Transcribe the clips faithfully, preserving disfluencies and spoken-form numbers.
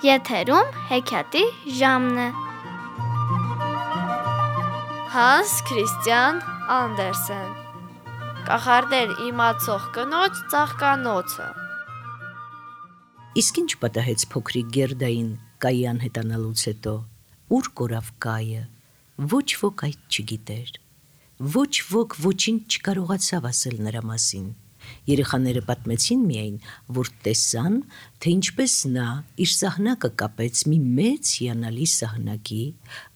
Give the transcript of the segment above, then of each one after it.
Եթերում հեքիաթի ժամն է։ Հանս Քրիստիան Անդերսեն Կախարդեր իմացող կնոջ ծաղկանոցը։ Իսկ ինչ պատահեց փոքրիկ Գերդային Կայի անհետանալուց հետո, ուր կորավ Կայը, ոչ ոք այդ չգիտեր, ոչ ոք ոչինչ չկարողացավ ասել նրա մասին։ Երեխաները պատմեցին միայն, որ տեսան, թե ինչպես նա իր սահնակը կապեց մի մեծ հիանալի սահնակի,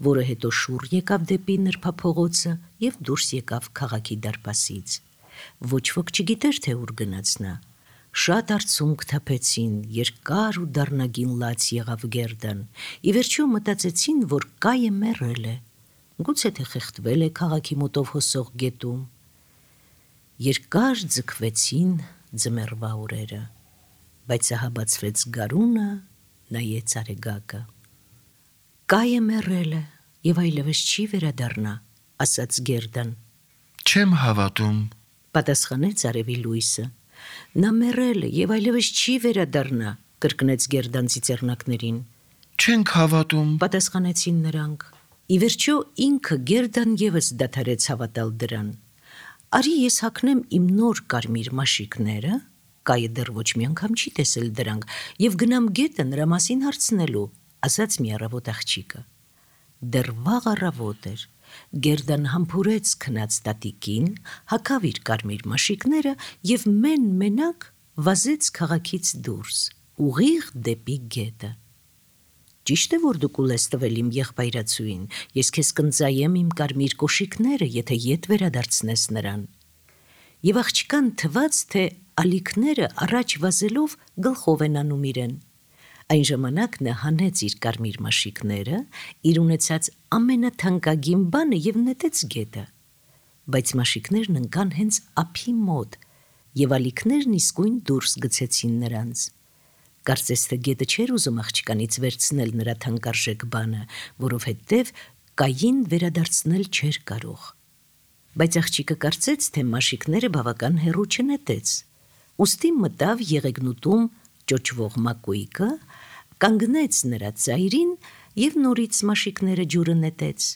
որը հետո շուռ եկավ դեպի նրբափողոցը և դուրս եկավ քաղաքի դարպասից։ Ոչ ոք չգիտեր, թե ուր գնաց նա։ Շատ արցունք թափեցին, երկար ու դառնագին լաց եղավ Գերդան, ի վերջո մտածեցին, որ Կայը մեռել է, գուցե թե խեղդվել է քաղաքի մոտով հոսող գետում։ Երկար ձգվեցին ձմեռվա օրերը, բայց ահա բացվեց գարունը, նայեց արեգակը։ Կայը մեռել է և այլևս չի վերադառնա, ասաց Գերդան։ Չեմ հավատում, պատասխանեց արևի լույսը։ Նա մեռել է և այլևս չի վերադառնա, կրկնեց Գերդան ծիծեռնակներին։ Չենք հավատում, Պատասխանեցին նրանք։ Ի վերջո ինքը Գերդան ևս դադարեց հավատալ դրան։ Արի ես հագնեմ իմ նոր կարմիր մաշիկները, Կայը դեռ ոչ մի անգամ չի տեսել դրանք, և գնամ գետը նրա մասին հարցնելու, ասաց մի առավոտ աղջիկը։ Դեռ վաղ առավոտ էր։ Գերդան համբուրեց քնած տատիկին, հագավ իր կարմիր մաշիկները և մեն-մենակ վազեց քաղաքից դուրս, ուղիղ դեպի գետը։ Ճիշտ է, որ դու կուլես տվել իմ եղբայրացուին, ես քեզ կընծայեմ իմ կարմիր կոշիկները, եթե ետ վերադարձնես նրան։ Եվ աղջկան թվաց, թե ալիքները առաջ վազելով գլխով են անում իրեն։ Այն ժամանակ նա հանեց իր կարմիր մաշիկները, իր ունեցած ամենաթանկագին բանը և նետեց գետը։ Բայց մաշիկներն ընկան հենց ափի մոտ, և ալիքներն իսկույն դուրս գցեցին նրանց։ Կարծես թե գետը չէր ուզում աղջկանից վերցնել նրա թանկարժեք բանը, որովհետև Կային վերադարձնել չէր կարող։ Բայց աղջիկը կարծեց, թե մաշիկները բավական հեռու չնետեց, ուստի մտավ եղեգնուտում ճոճվող մակույկը, կանգնեց նրա ծայրին և նորից մաշիկները ջուրը նետեց,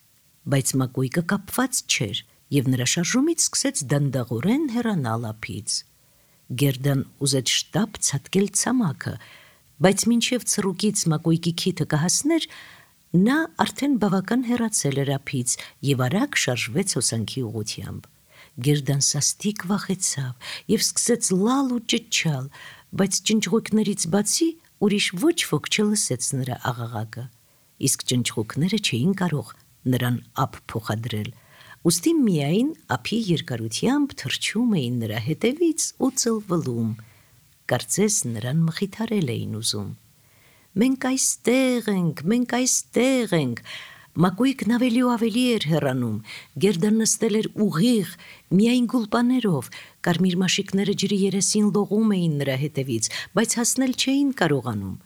բայց մակույկը կապված չէր, և նրա շարժումից սկսեց դանդաղորեն հեռանալ ափից։ Գերդան ուզեց շտապ ցատկել ցամաքը, բայց մինչև ցռուկից մակույկի քիթը կհասներ, նա արդեն բավական հեռացել էր ափից և արագ շարժվեց հոսանքի ուղղությամբ։ Գերդան սաստիկ վախեցավ և սկսեց լալ ու ճչալ, բայց ճնճղույկներից բացի ուրիշ ոչ ոք չլսեց նրա աղաղակը, իսկ ճնճղույկները չէին կարող նրան ափ փոխադրել, ուստի միայն ափի երկարությամբ թռչում էին նրա հետևից ու ծլվլում, կարծես նրան մխիթարել էին ուզում։ Մենք այստեղ ենք, մենք այստեղ ենք։ Մակույկն ավելի ու ավելի էր հեռանում, Գերդան նստել էր ուղիղ, միայն գուլպաներով, կարմիր մաշիկները ջրի երեսին լողում էին նրա հետևից, բայց հասնել չէին կարողանում։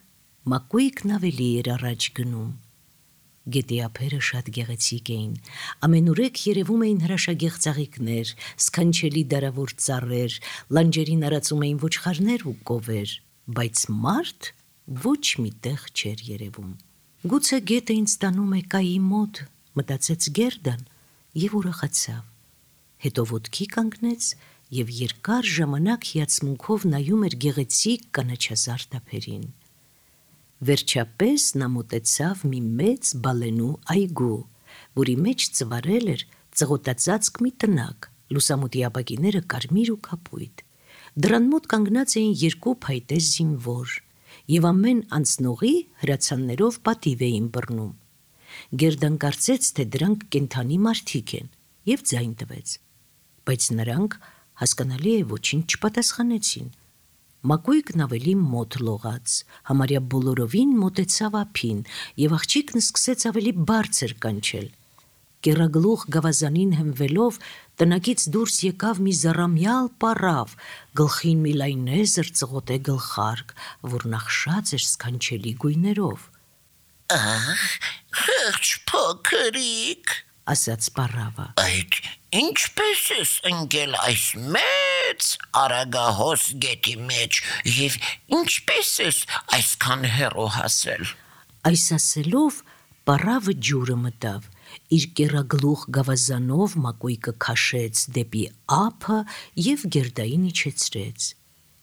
Մակույկն ավելի էր առաջ գնում։ Գետի ափերը շատ գեղեցիկ էին, ամենուրեք երևում էին հրաշագեղ ծաղիկներ, սքանչելի դարավոր ծառեր, լանջերին արածում էին ոչխարներ ու կովեր, բայց մարդ ոչ մի տեղ չէր երևում։ Գուցե գետը ինձ տանում է Կայի մոտ, մտածեց Գերդան և ուրախացավ։ Հետո ոտքի կանգնեց և երկար ժամանակ հիացմունքով նայում էր գեղեցիկ կանաչազարդ ափերին։ Վերջապես նա մոտեցավ մի մեծ բալենու այգու, որի մեջ ծվարել էր ծղոտածածկ մի տնակ, լուսամուտի ապակիները կարմիր ու կապույտ։ Դռան մոտ կանգնած էին երկու փայտե զինվոր, և ամեն անցնողի հրացաններով պատիվ էին բռնում։ Գերդան կարծեց, թե դրանք կենդանի մարդիկ են, և ձայն տվեց, բայց նրանք, հասկանալի է, ոչինչ չպատասխանեցին։ Մակույկն ավելի մոտ լողաց, համարյա բոլորովին մոտեցավ ափին, և աղջիկն սկսեց ավելի բարձր կանչել։ Կեռագլուխ գավազանին հենվելով, տնակից դուրս եկավ մի զառամյալ պառավ, գլխին մի լայնեզր ծղոտե գլխարկ, որ նախշած էր սքանչելի գույներով։ Ահ, խեղճ փոքրիկ, ասաց պարավը։ Այդ ինչպես ես ընկել այս մեծ արագահոս գետի մեջ և ինչպես ես այսքան հեռու հասել։ Այս ասելով պարավը ջուրը մտավ, իր կեռագլուխ գավազանով մակույկը քաշեց դեպի ափը և Գերդային իջեցրեց։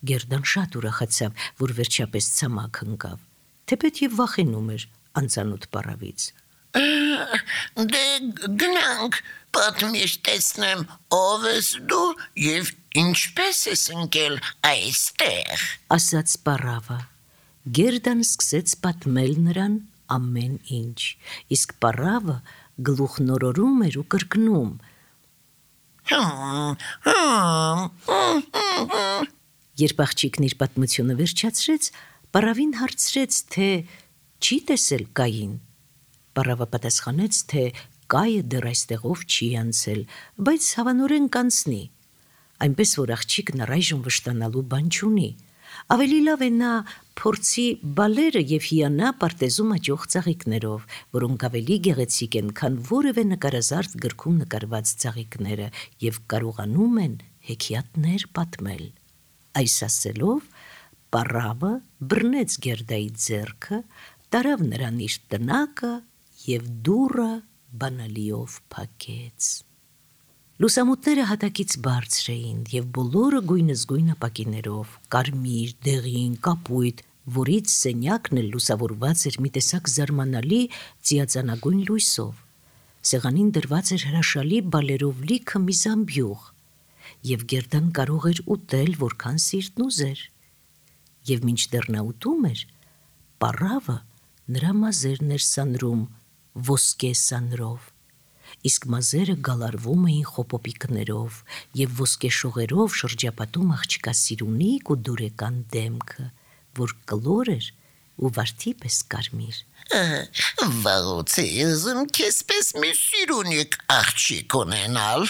Գերդան շատ ուրախացավ, որ վերջապես ցամաք ընկավ, թեպետ և վախենում էր անծանոթ պարավից։ Դե գնանք, պատմիր տեսնեմ ով ես դու և ինչպես ես ընկել այստեղ, ասաց պարավը։ Գերդան սկսեց պատմել նրան ամեն ինչ, իսկ պարավը գլուխնորորում էր ու կրկնում. Երբ աղջիկն իր պատմությունը վերջացրեց, պարավին հարցրեց, թե չի տեսել Կային։ Պարավը պատասխանեց, թե Կայը դեռ այստեղով չի անցել, բայց հավանորեն կանցնի, այնպես որ աղջիկն առայժմ վշտանալու բան չունի։ Ավելի լավ է նա փորձի բալերը և հիանա պարտեզում աճող ծաղիկներով, որոնք ավելի գեղեցիկ են, քան որևէ նկարազարդ գրքում նկարված ծաղիկները և կարողանում են հեքիաթներ պատմել։ Այս ասելով պարավը բռնեց Գերդայի ձեռքը, տարավ նրան իր տնակը և դուռը բանալիով փակեց։ Լուսամուտները հատակից բարձր էին և բոլորը գույնզգույն ապակիներով, կարմիր, դեղին, կապույտ, որից սենյակն էլ լուսավորված էր մի տեսակ զարմանալի ծիածանագույն լույսով։ Սեղանին դրված էր հրաշալի բալերով լիքը մի զամբյուղ, և Գերդան կարող էր ուտել որքան սիրտն ուզեր։ Եվ մինչդեռ նա ուտում էր, պարավը նրա մազերն էր սանրում ոսկե սանրով, իսկ մազերը գալարվում էին խոպոպիկներով և ոսկե շողերով շրջապատում աղջկա սիրունիկ ու դուրեկան դեմքը, որ կլոր էր ու վարդի պես կարմիր։ Վաղուց է ուզում քեզպես մի սիրունիկ աղջիկ ունենալ,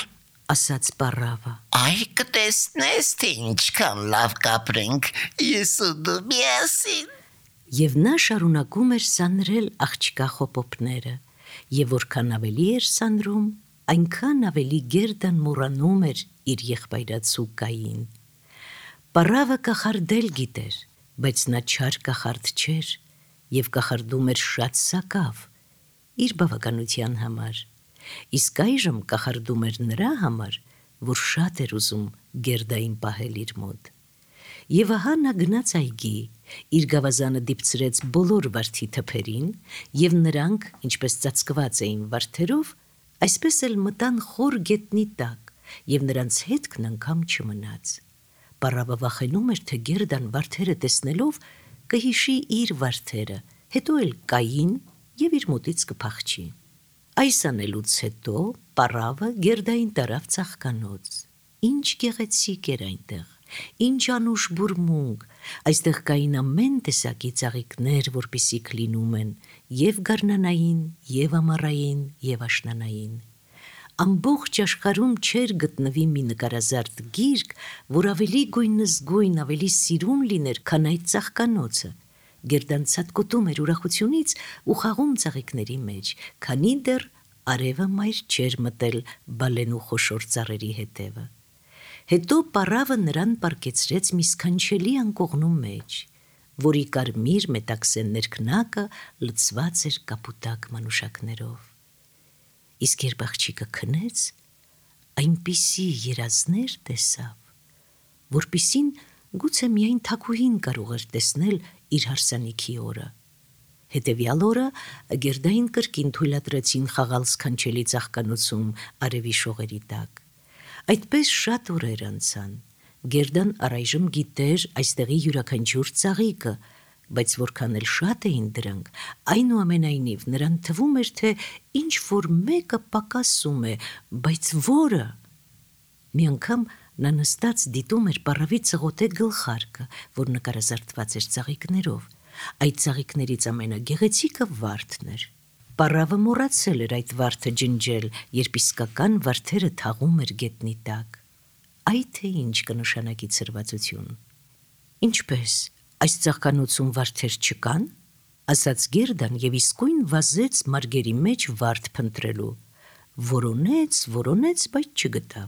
ասաց պարավը։ Այ կտեսնես, թե ինչքան լավ կապրենք ես ու դու միասին։ Եվ նա շարունակում էր սանրել աղջկա խոպոպները, և որքան ավելի էր սանրում, այնքան ավելի Գերդան մոռանում էր իր եղբայրացու Կային։ Պարավը կախարդել գիտեր, բայց նա չար կախարդ չէր և կախարդում էր շատ սակավ իր բավականության համար, իսկ այժմ կախարդում էր նրա համար, որ շատ էր ուզում Գերդային պահել իր մոտ։ Եվ ահա նա գնաց այգի, իր գավազանը դիպցրեց բոլոր վարդի թփերին, և նրանք, ինչպես ծածկված էին վարդերով, այսպես էլ մտան խոր գետնի տակ, և նրանց հետքն անգամ չմնաց։ Պարավը վախենում էր, թե Գերդան վարդերը տեսնելով կհիշի իր վարդերը, հետո էլ Կային և իր մոտից կփախչի։ Այս անելուց հետո պարավը Գերդային տարավ ծաղկանոց։ Ինչ գեղեցիկ էր այնտեղ, ինչ անուշ բուրմունք, այստեղ կային ամեն տեսակի ծաղիկներ, որպիսիք լինում են և գարնանային, և ամառային, և աշնանային։ Ամբողջ աշխարհում չէր գտնվի մի նկարազարդ գիրք, որ ավելի գույնզգույն, ավելի սիրուն լիներ, քան այդ ծաղկանոցը։ Գերդան ցատկոտում էր ուրախությունից ու խաղում ծաղիկների մեջ, քանի դեռ արևը մայր չէր մտել բալենու խոշոր ծառերի հետևը։ Հետո պարավը նրան պառկեցրեց մի սքանչելի անկողնու մեջ, որի կարմիր մետաքսե ներքնակը լցված էր կապուտակ մանուշակներով։ Իսկ երբ աղջիկը քնեց, այնպիսի երազներ տեսավ, որպիսին գուցե միայն թագուհին կարող էր տեսնել իր հարսանիքի օրը։ Հետևյալ օրը Գերդային կրկին թույլատրեցին խաղալ սքանչելի ծաղկանոցում արևի շողերի տակ։ Այդպես շատ օրեր անցան։ Գերդան առայժմ գիտեր այստեղի յուրաքանչյուր ծաղիկը, բայց որքան էլ շատ էին դրանք, այնուամենայնիվ նրան թվում էր, թե ինչ-որ մեկը պակասում է, բայց որը։ Մի անգամ նա նստած դիտում էր պարավի ծղոտե գլխարկը, որ նկարազարդված էր ծաղիկներով։ Այդ ծաղիկներից ամենագեղեցիկը վարդն էր։ Պարավը մոռացել էր այդ վարդը ջնջել, երբ իսկական վարդերը թաղում էր գետնի տակ։ Այ թե ինչ կնշանակի ցրվածություն։ Ինչպես, այս ծաղկանոցում վարդեր չկան, ասաց Գերդան և իսկույն վազեց մարգերի մեջ վարդ փնտրելու, որոնեց, որոնեց, բայց չգտավ։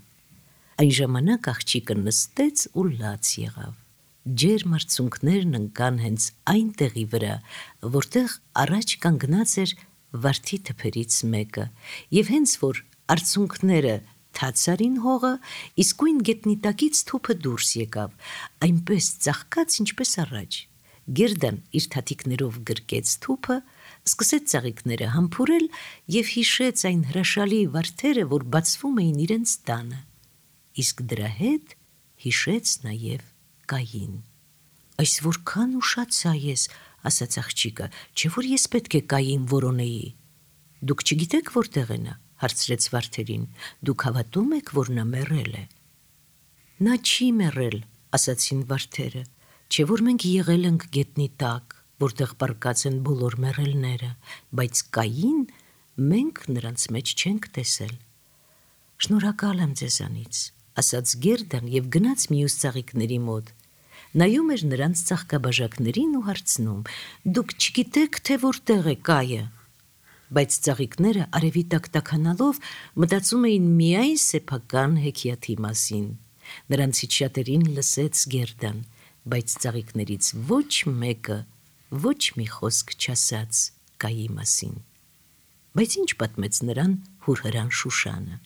Այն ժամանակ աղջիկը նստեց ու լաց եղավ։ Ջերմ արցունքներն ընկան հենց այն տեղի վրա, որտեղ առաջ կանգնած էր վարդի թփերից մեկը, եւ հենց որ արցունքները թաց արին հողը, իսկույն գետնի տակից թուփը դուրս եկավ, այնպես ծաղկաց, ինչպես առաջ։ Գերդան իր թաթիկներով գրկեց թուփը, սկսեց ծաղիկները համբուրել եւ հիշեց այն հրաշալի վարդերը, որ բացվում էին իրենց տանը։ Իսկ դրա հետ հիշեց նաեւ Կային։ Այս որքան ուշացա ես, ասաց աղջիկը, չէ որ ես պետք է Կային որոնեի։ Դուք չգիտեք որտեղ է նա, հարցրեց Վարդերին, դուք հավատում եք, որ նա մեռել է։ Նա չի մեռել, ասացին վարդերը, չէ որ մենք եղել ենք գետնի տակ, որտեղ պառկած են բոլոր մեռելները, բայց Կային մենք նրանց մեջ չենք տեսել։ Շնորհակալ եմ ձեզանից, ասաց Գերդան եւ գնաց մյուս ծաղիկների մոտ։ Նայում էր նրանց ծաղկաբաժակներին ու հարցնում. «Դուք չգիտեք, թե որտեղ է Կայը»։ Բայց ծաղիկները արևի տակ տաքանալով մտածում էին միայն սեփական հեքիաթի մասին։ Նրանցից շատերին լսեց Գերդան, բայց ծաղիկներից ոչ մեկը ոչ մի խոսք չասաց Կայի մասին։ Բայց ինչ պատմեց նրան հուրհրան Շուշանը։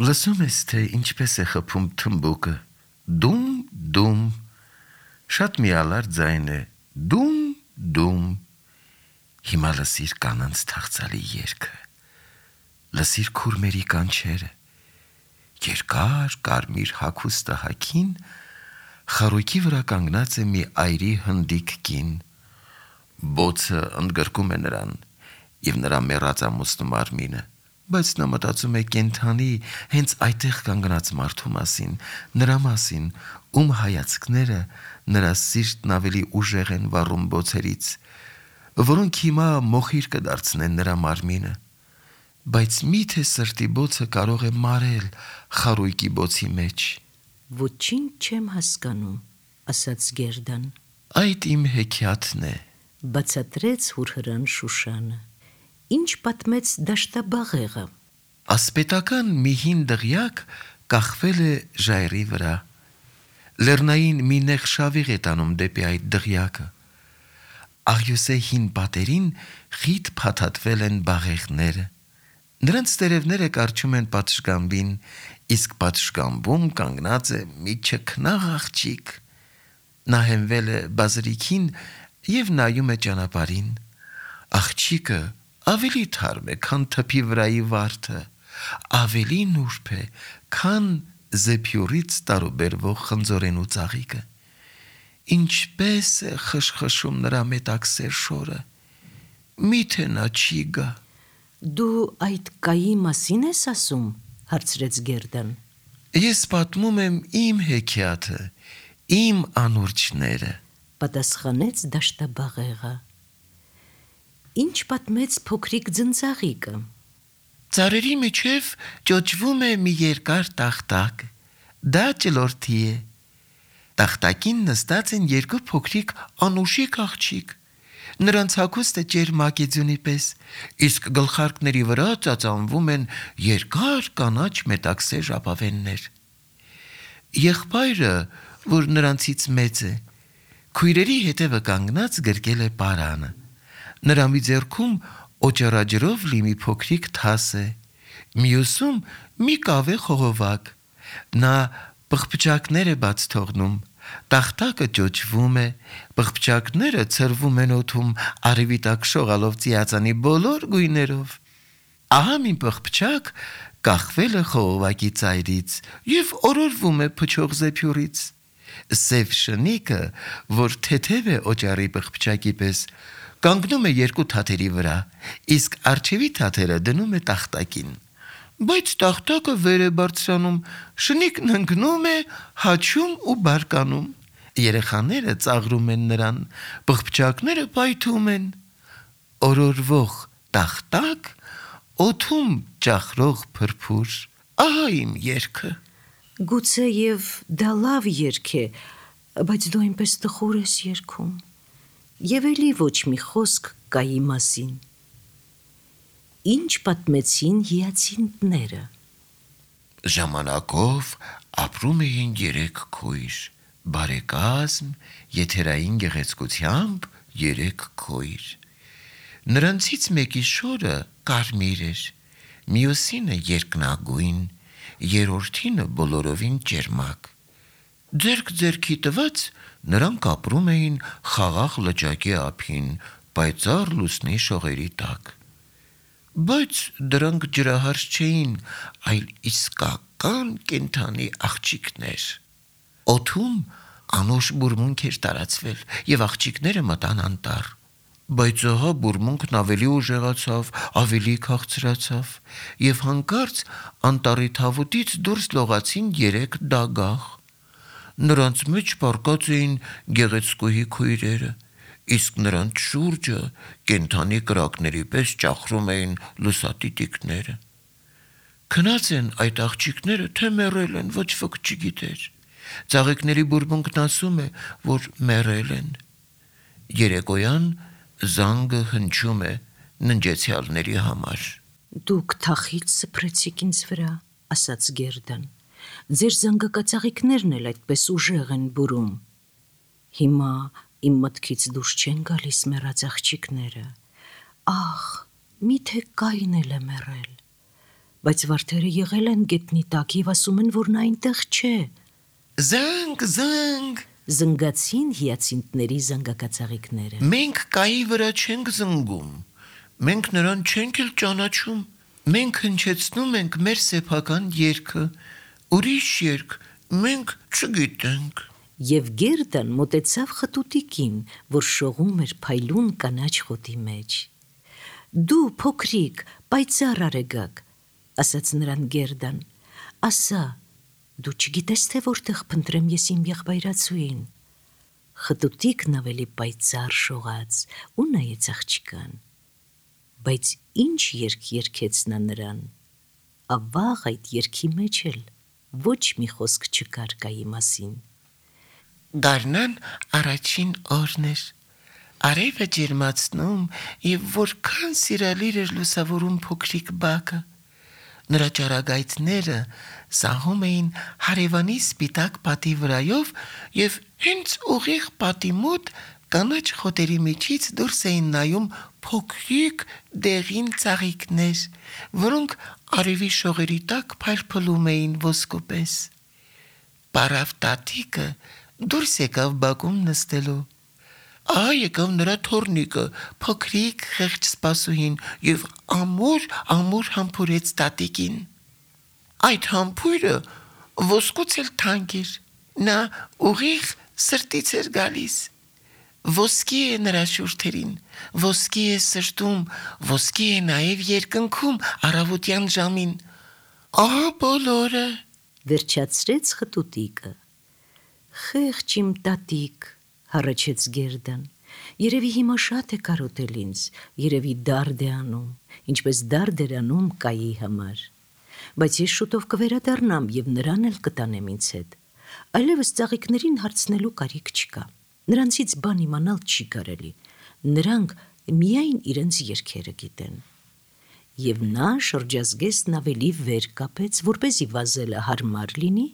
Լսում ես, թե ինչպես է խփում թմբուկը։ Դում, դում։ Շատ միալար ձայն է։ Դում, դում։ Հիմա լսիր կանանց թախծալի երգը։ Լսիր քուրմերի կանչերը։ Երկար կարմիր հագուստը հագին, խարույկի վրա կանգնած է մի այրի հնդիկ կին։ Բոցը ընդգրկում է նրան եւ նրա մեռածամուսնու մարմինը, բայց նա մտածում է կենթանի հենց այդտեղ կանգնած մարդու մասին, նրա մասին, ում հայացքները նրա սիրտն ավելի ուժեղ են վառում բոցերից, որոնք հիմա մոխիր կդարձնեն նրա մարմինը, բայց միթե սրտի բոցը կարող է մարել խարույկի բոցի մեջ։ Ոչինչ չեմ հասկանում, ասաց Գերդան։ Այդ իմ հեքիաթն է, բացատրեց հուրհրան Շուշանը։ Ինչ պատմեց դաշտաբաղեղը։ ասպետական մի հին դղյակ կախվել է ժայռի վրա։ Լեռնային մի նեղ շավիղ է տանում դեպի այդ դղյակը։ Աղյուսե հին պատերին խիտ փաթաթվել են բաղեղները։ Նրանց տերևները կարճում են պատշգամբին, իսկ պատշգամբում կանգնած է մի չքնաղ աղջիկ։ Նա հենվել է բազրիքին եւ նայում է ճանապարհին։ Աղջիկը ավելի թարմ է, քան թփի վրայի վարդը, ավելի նուրբ է, քան զեփյուրից տարուբերվող խնձորենու ծաղիկը։ Ինչպես է խշխշում նրա մետաքսեր շորը։ Միթե նա չի գա։ Դու այդ Կայի մասին ես ասում, հարցրեց Գերդան։ Ես պատմում եմ իմ հեքիաթը, իմ անուրջները, պատասխանեց դաշտաբաղեղը։ Ինչ պատմեց փոքրիկ ձնծաղիկը։ Ծառերի միջև ճոճվում է մի երկար տախտակ, դա ճլորթի է։ Տախտակին նստած են երկու փոքրիկ անուշիկ աղջիկ։ Նրանց հագուստը ճերմակեձյունի պես, իսկ գլխարկների վրա ծածանվում են երկար կանաչ մետաքսե ժապավեններ։ Եղբայրը, որ նրանցից մեծ է, քույրերի հետևը կանգնած գրկել է պարանը։ Նրա մի ձեռքում օճառաջրով լի մի փոքրիկ թաս է, մյուսում մի կավե խողովակ։ Նա պղպճակներ է բաց թողնում, տախտակը ճոճվում է, պղպճակները ցրվում են օդում արևի տակ շողալով ծիածանի բոլոր գույներով։ Ահա մի պղպճակ կախվել է խողովակի ծայրից եւ օրորվում է փչող զեփյուրից։ Սև շնիկը, որ թեթև է օճառի պղպճակի պես, կանգնում է երկու թաթերի վրա, իսկ արջևի թաթերը դնում է տախտակին։ Բայց տախտակը վեր է բարձրանում, շնիկն ընկնում է, հաչում ու բարկանում։ Երեխաները ծաղրում են նրան, պղպճակները պայթում են։ Օրորվող տախտակ, օդում ճախրող փրփուր։ Ահա իմ երգը։ Գուցե եւ դա լավ երգ է, բայց դու այնպես տխուր ես երգում։ Եվ էլի ոչ մի խոսք Կայի մասին։ ինչ պատմեցին հիացինտները։ Ժամանակով ապրում էին երեք քույր, բարեկազմ, եթերային գեղեցկությամբ երեք քույր։ Նրանցից մեկի շորը կարմիր էր, մյուսինը երկնագույն, երրորդինը բոլորովին ճերմակ։ Ձերք ձերքի տված նրանք ապրում էին խաղաղ լճակի ափին, պայծառ լուսնի շողերի տակ։ Բայց դրանք ջրահարց չէին, այլ իսկական կենդանի աղջիկներ։ Օդում անուշ բուրմունք էր տարածվել, եւ աղջիկները մտան անտառ։ Բայց ահա բուրմունքն ավելի ուժեղացավ, ավելի քաղցրացավ, եւ հանկարծ անտառի թավուտից դուրս լողացին երեք դագաղ։ Նրանց մեջ պառկած էին գեղեցկուհի քույրերը, իսկ նրանց շուրջը կենդանի կրակների պես ճախրում էին լուսատիտիկները։ Քնած են այդ աղջիկները, թե մեռել են, ոչ ոք չգիտեր։ Ծաղիկների բուրմունքն ասում է, որ մեռել են։ Երեկոյան զանգը հնչում է ննջեցյալների համար։ Դուք թախից սփռեցիք ինձ վրա, ասաց Գերդան։ Ձեր զանգակածաղիկներն էլ այդպես ուժեղ են բուրում։ Հիմա իմ մտքից դուրս չեն գալիս մեռած աղջիկները։ Ախ, միթե Կային էլ է մեռել։ Բայց վարդերը եղել են գետնի տակ եւ ասում են, որ նա այնտեղ չէ։ Զանգ, զանգ, Զնգացին հիացինտների զանգակածաղիկները։ մենք Կայի վրա չենք զնգում, մենք նրան չենք էլ ճանաչում, մենք հնչեցնում ենք մեր սեփական երգը, ուրիշ երգ մենք չգիտենք։ Եվ Գերդան մոտեցավ խտուտիկին, որ շողում էր փայլուն կանաչ խոտի մեջ։ Դու փոքրիկ, պայծառ արեգակ, ասաց նրան Գերդան, ասա, դու չգիտես թե որտեղ փնտրեմ ես իմ եղբայրացուին։ Խտուտիկն ավելի պայծառ շողաց ու նայեց աղջկան։ Բայց ինչ երգ երգեց նա նրան։ Ավաղ այդ երգի մեջ էլ ոչ մի խոսք չկար Կայի մասին։ Գարնան առաջին օրն էր, արևը ջերմացնում եւ որքան սիրալիր էր լուսավորում փոքրիկ բակը։ Նրա ճառագայթները սահում էին հարևանի սպիտակ պատի վրայով եւ հենց ուղիղ պատի մոտ կանաչ խոտերի միջից դուրս էին նայում փոքրիկ դեղին ծաղիկներ, որոնք արևի շողերի տակ փայլփլում էին ոսկուպես։ Պարավ տատիկը դուրս եկավ բակում նստելու։ Ահա եկավ նրա թոռնիկը, փոքրիկ խեղճ սպասուհին, եւ ամուր ամուր համբուրեց տատիկին։ Այդ համբույրը ոսկուց էլ թանկ էր, նա ուղիղ սրտից էր գալիս։ Ոսկի է նրա շուրթերին, ոսկի է սրտում, ոսկի է նաեւ երկնքում առավոտյան ժամին։ Ահա բոլորը։ Վերջացրեց խտուտիկը։ Խեղճ իմ տատիկ, հառաչեց Գերդան, երևի հիմա շատ է կարոտել ինձ, երևի դարդ է անում, ինչպես դարդ էր անում Կայի համար։ Բայց ես շուտով կվերադառնամ եւ նրան էլ կտանեմ ինձ հետ։ Այլևս ծաղիկներին հարցնելու կարիք չկա։ Նրանցից բան իմանալ չի կարելի։ Նրանք միայն իրենց երգերը գիտեն։ Եվ նա շրջազգեստն ավելի վեր կապեց, որպեսզի վազելը հարմար լինի,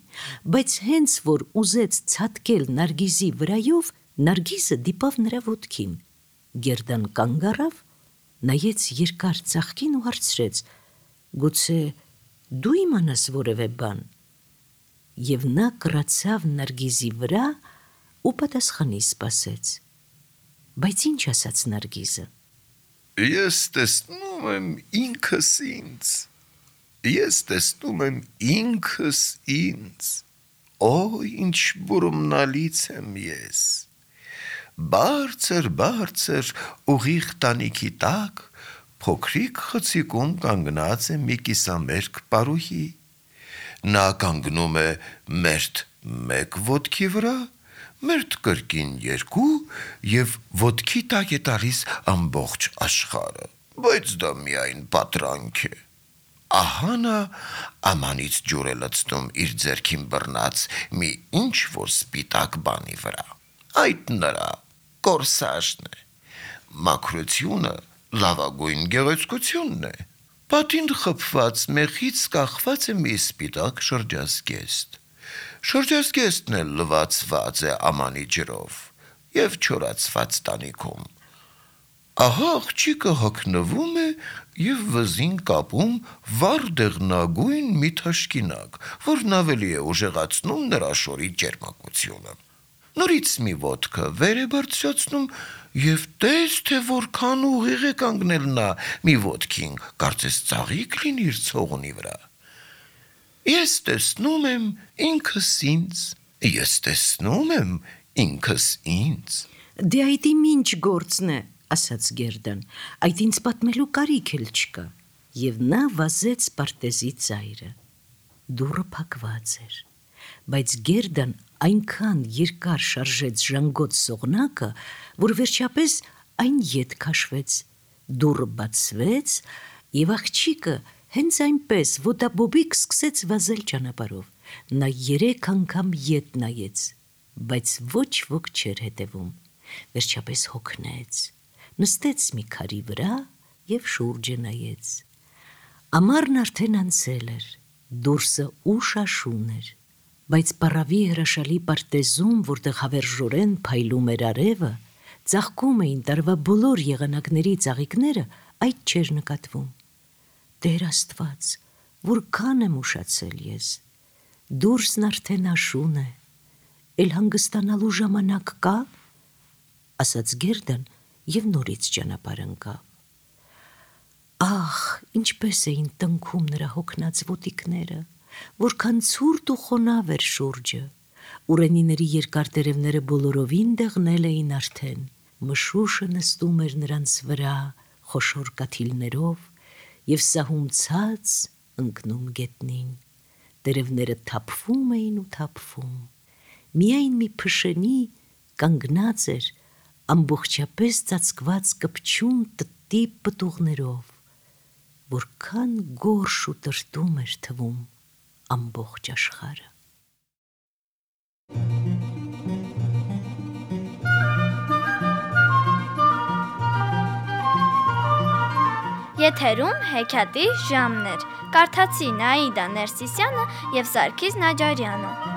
բայց հենց որ ուզեց ցատկել Նարգիզի վրայով, Նարգիզը դիպավ նրա ոտքին։ Գերդան կանգ առավ, նայեց երկար ծաղկին ու հարցրեց. «Գուցե դու իմանաս որևէ բան»։ Եվ նա կռացավ Նարգիզի վրա ու պատասխանի սպասեց։ Բայց ինչ ասաց Նարգիզը։ Ես տեսնում եմ ինքս ինձ, ես տեսնում եմ ինքս ինձ, օ, ինչ բուրումնալից եմ ես, բարձր, բարձր, ուղիղ տանիքի տակ, փոքրիկ խցիկում կանգնած է մի կիսամերկ պարուհի, նա կանգնում է մերթ մեկ ոտքի վրա, մերթ կրկին երկու եւ ոտքի տակ է տալիս ամբողջ աշխարհը, բայց դա միայն պատրանք է։ Ահա նա ամանից ջուր է լցնում իր ձեռքին բռնած մի ինչ որ սպիտակ բանի վրա։ Այդ նրա կորսաժն է։ Մաքրությունը լավագույն գեղեցկությունն է։ Պատին խփված մեխից կախված է մի սպիտակ շրջազգեստ։ Շրջազգեստն էլ լվացված է ամանի ջրով և չորացված տանիքում։ Ահա աղջիկը հագնվում է և վզին կապում վառ դեղնագույն մի թաշկինակ, որն ավելի է ուժեղացնում նրա շորի ճերմակությունը։ Նորից մի ոտքը վեր է բարձրացնում և տես, թե որքան ուղիղ է կանգնել նա մի ոտքին, կարծես ծաղիկ լինի իր ցողունի վրա։ Ես տեսնում եմ ինքս ինձ, ես տեսնում եմ ինքս ինձ։ Դե այդ իմ ինչ գործն է, ասաց Գերդան, այդ ինձ պատմելու կարիք էլ չկա։ Եվ նա վազեց պարտեզի ծայրը։ Դուռը փակված էր, բայց Գերդան այնքան երկար շարժեց ժանգոտ սողնակը, որ վերջապես այն ետ քաշվեց։ Դուռը բացվեց, և աղջիկը հենց այնպես ոտաբոբիկ սկսեց վազել ճանապարհով։ Նա երեք անգամ ետ նայեց, բայց ոչ ոք չէր հետևում։ Վերջապես հոգնեց, նստեց մի քարի վրա և շուրջը նայեց։ Ամառն արդեն անցել էր, դուրսը ուշ աշուն էր, բայց պառավի հրաշալի պարտեզում, որտեղ հավերժորեն փայլում էր արևը, ծաղկում էին տարվա բոլոր եղանակների ծաղիկները, այդ չէր նկատվում։ Տեր Աստված, որքան եմ ուշացել ես, դուրսն արդեն աշուն է, էլ հանգստանալու ժամանակ կա, ասաց Գերդան և նորից ճանապարհ ընկավ։ Ահ, ինչպես էին տնքում նրա հոգնած ոտիկները, որքան ցուրտ ու խոնավ էր շուրջը։ Ուռենիների երկար տերևները բոլորովին դեղնել էին արդեն, մշուշը նստում էր նրանց վրա խոշոր կաթիլներով և սահում ցած ընկնում գետնին։ Տերևները թափվում էին ու թափվում։ Միայն մի փշենի կանգնած էր ամբողջապես ծածկված կպչուն տտի պտուղներով, որքան գորշ ու տրտում էր թվում ամբողջ աշխարհը։ Եթերում հեքիաթի ժամն էր։ Կարդացին Աիդա Ներսիսյանը և Սարգիս Նաջարյանը։